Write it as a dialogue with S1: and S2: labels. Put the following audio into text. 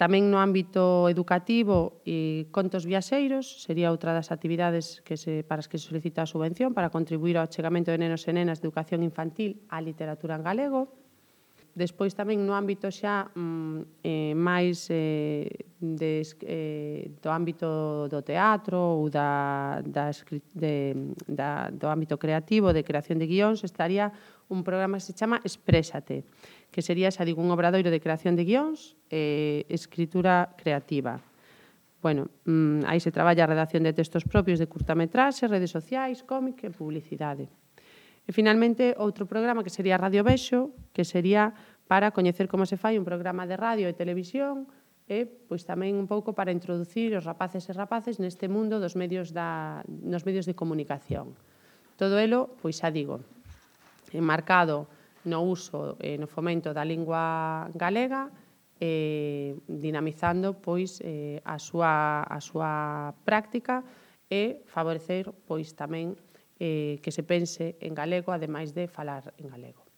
S1: Tamén no ámbito educativo, contos viaxeiros sería outra das actividades para as que se solicita a subvención para contribuir ao achegamento de nenos e nenas de educación infantil á literatura en galego. Despois tamén no ámbito xa máis do ámbito do teatro ou do ámbito creativo, de creación de guións, estaría un programa que se chama Exprésate, que sería, xa digo, un obradoiro de creación de guións e escritura creativa. Bueno, aí se traballa a redacción de textos propios de curtametraxe, redes sociais, cómic e publicidade. E, finalmente, outro programa que sería Radio Vexo, que sería para coñecer como se fai un programa de radio e televisión e, pois, tamén un pouco para introducir os rapaces e rapaces neste mundo nos medios de comunicación. Todo elo, pois xa digo, enmarcado no uso e no fomento da lingua galega, dinamizando pois a súa práctica e favorecer pois tamén que se pense en galego, ademais de falar en galego.